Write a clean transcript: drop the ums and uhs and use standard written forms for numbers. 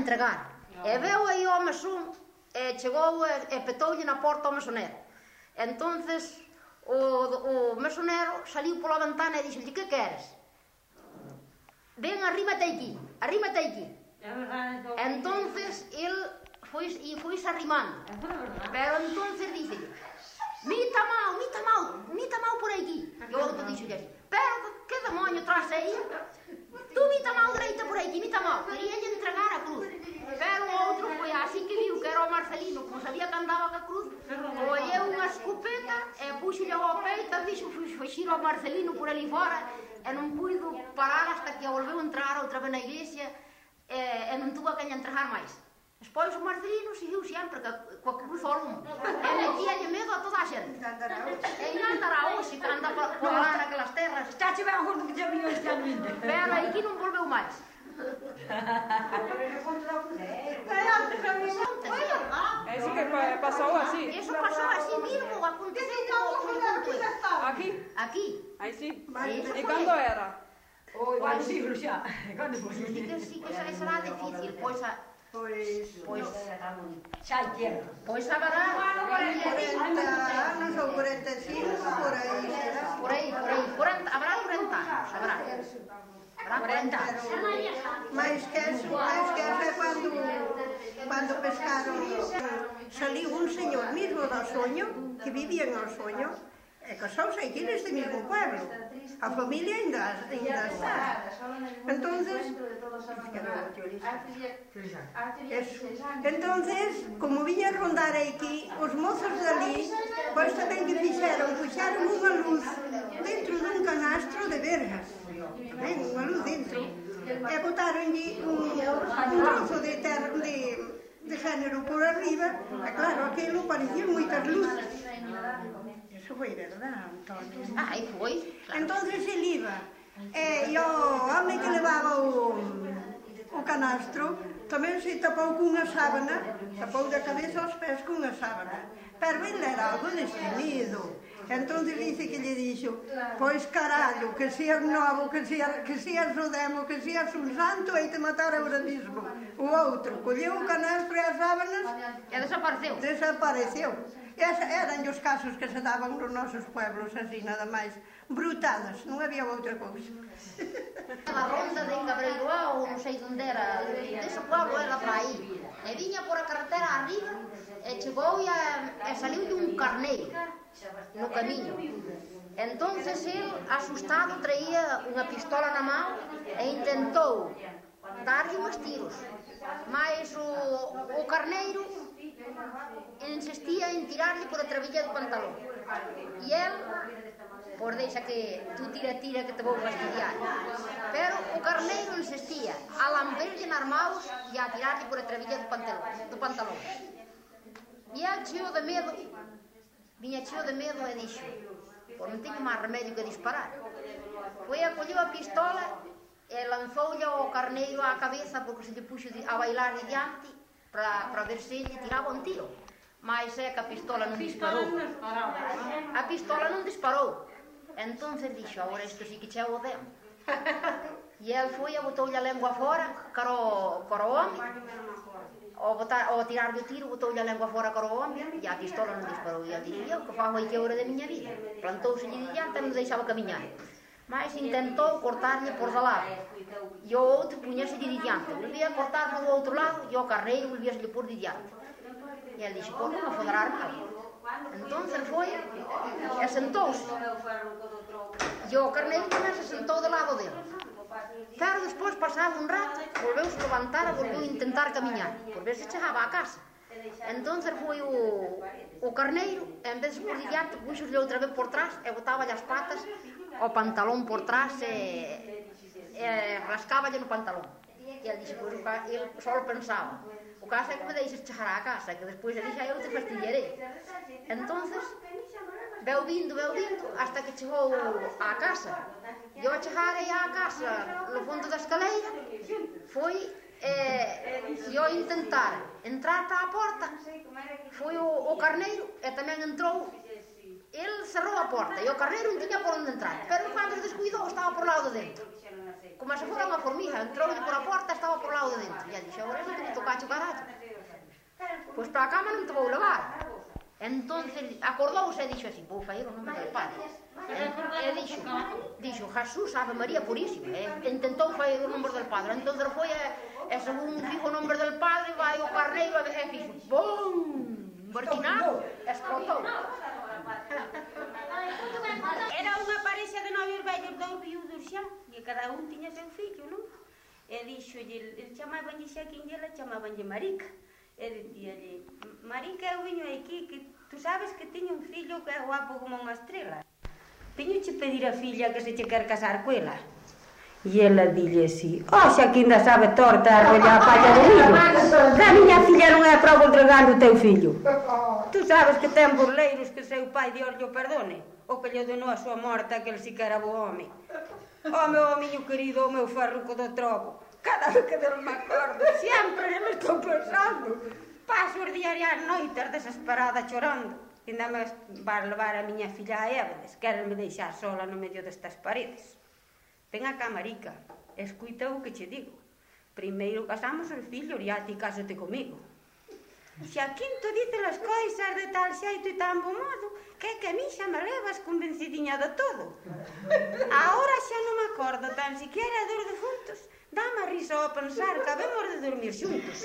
entregar. E veu aí o mesón, e chegou e petoulle na porta ao mesonero. Entonces o mesonero saliu pola ventana e dixolle: que queres? Ven, arrímate aquí, arrímate aquí. Entonces el foise arrimando, pero entonces díxelle: mita mal por aquí. E o outro dixolle así: pero que demonio traes aí? Tú mita mal dereita por aquí, mita mal. Queríalle entregar a cruz, pero o outro foi así que viu que era o Marcelino, como sabía que andaba ca cruz, colleu unha escopeta e puxolle ao peito e dixo fuxir ao Marcelino por ali fora, e non puido parar hasta que a volveu entrar outra vez na iglesia, e non tuvo a quen entregar máis. Despois o Marcelino seguiu sempre coa cruz ao lume e metíalle medo a toda a xente. E non andará hoxe que anda por lá naquelas terras. Está che ben agora que xa viño este ano ainda. Pero aquí non volveu máis. Eso que pasou así. Eso pasou así mismo, aconteceu Aquí? aquí. Aí sí. Eso E foi. cando era? Quando siglo xa? Cando foi? Sí que será difícil, pois Xa hai tierra. pois haberá 40 anos ou 45, por aí será. por aí, habrá 40 anos, habrá 40 anos. Mais que eso é cando pescaron. Saliu un señor mismo do soño, que vivía no soño, e casouse aquí neste mismo pueblo. A familia ainda está. Entonces, como viña a rondar aquí, os mozos dali, pois tamén que fixeron unha luz dentro dun canastro de vergas. Ben, unha luz dentro. E botaronlle un trozo de terra de género por arriba, e claro, aquilo parecían moitas luces. Eso foi verdad, Antonio. Aí foi. Entonces el iba, e o home que levaba o canastro tamén se tapou cunha sábana, tapou da cabeza aos pés cunha sábana, pero ele era algo destemido. Entonces dice que lle dixo: pois carallo, que seas novo, que seas o demo, que seas un santo, e te matar agora mismo. O outro colleu o canastro e as sábanas E desapareceu. Eran os casos que se daban nos nosos pueblos, así, nada máis, brutadas, non había outra cousa. A ronda de Cabreiroa, ou non sei onde era, dese pueblo era para aí. E viña por a carretera arriba, e chegou e saliu de un carneiro no camiño. Entonces el, asustado, traía unha pistola na mão e intentou darlle uns tiros. Mas o carneiro insistía en tirarlle por a trabilla do pantalón. E el, por deixa que tú tira que te vou fastidiar. Pero o carneiro insistía a lamberlle nas maus e a tirarlle por a trabilla do pantalón. E el viña cheo de medo e dixo: pois non teño máis remedio que disparar. Foi a colleu a pistola e lanzoulle ao carneiro á cabeza, porque se lle puxo a bailar diante para ver se lle tiraba un tiro. Mas é que a pistola non disparou. A pistola non disparou. Entonces dixo: agora isto sí que cheo o demo. E el foi e botoulle a lengua fora caro o home. Ao tirarlle o tiro, botoulle a lengua fora caro o home e a pistola non disparou. E el dixo: eu que fago aí que hora de miña vida? Plantouse-lle diante e non deixaba camiñar. Mas intentou cortarlle por de lado e o outro puñase-lle diante, volvía a cortar do outro lado e o carneiro volvíase-lle por diante. E el dixo: pois non me fodará nada. Entonces foi e sentouse, e o carneiro tamén se sentou do lado dele. Pero despois, pasado un rato, volveuse levantar e volveu intentar camiñar por ver se chegaba a casa. Entonces foi o carneiro, en vez de por diante, puxoslle outra vez por trás e botáballe as patas ao pantalón por trás e rascáballe no pantalón. E ele dixo: pois ele só pensaba: o caso é que me deixes chegar á casa, que despois ele xa eu te fastidiarei. Entonces veu vindo hasta que chegou á casa. E ao chegar aí á casa, no fundo da escaleira, foi e ao intentar entrar para a porta, foi o carneiro e tamén entrou. Ele cerrou a porta e o carneiro non tiña por onde entrar, pero cando se descuidou estaba por lado dentro. como se fora unha formiga, entrou por a porta, estaba por lado de dentro. E dixo, agora non te tocache o carallo. Pois para a cama non te vou levar. Entonces acordouse e dixo así, vou facer o nome del Padre. E dixo, Jesús, Ave María Purísima. Intentou facer o nome del Padre. Entonces foi e según fijo o nome del Padre, vai o carneiro e fixo, bum, barquinado, explotou. Era unha parexa de novios vellos, dous viudos xa, e cada un tiña seu fillo, non? E dixolle, chamabanlle Xaquín e ela chamabanlle Marica. E dicíalle, Marica, eu viño aquí, que tú sabes que tiño un fillo que é guapo como unha estrela. Viñoche pedir a filla que se che quer casar coela. E ela dille así, xa que ainda sabe torta a arrolla a palla de millo. Que a miña filla non é prova entregando o teu fillo. Tú sabes que ten burleiros que seu pai Dios llo perdone. O que lle donou a súa morta, que el si que era bo home. Meu homiño querido, o meu farruco do trobo. Cada vez que non me acordo, sempre me estou pensando. Paso os días e as noites desesperada chorando. Ainda me vas levar a miña filla a Évedes, querenme deixar sola no medio destas paredes. Ven acá, Marica, escuita o que che digo. Primeiro casamos os fillos e a ti cásate comigo. Xaquinto dice as coisas de tal xeito e tan bo modo que a mí xa me levas convencidinha de todo. Agora xa non me acordo tan siquiera dos defuntos. Dame a risa ao pensar que habemos de dormir xuntos.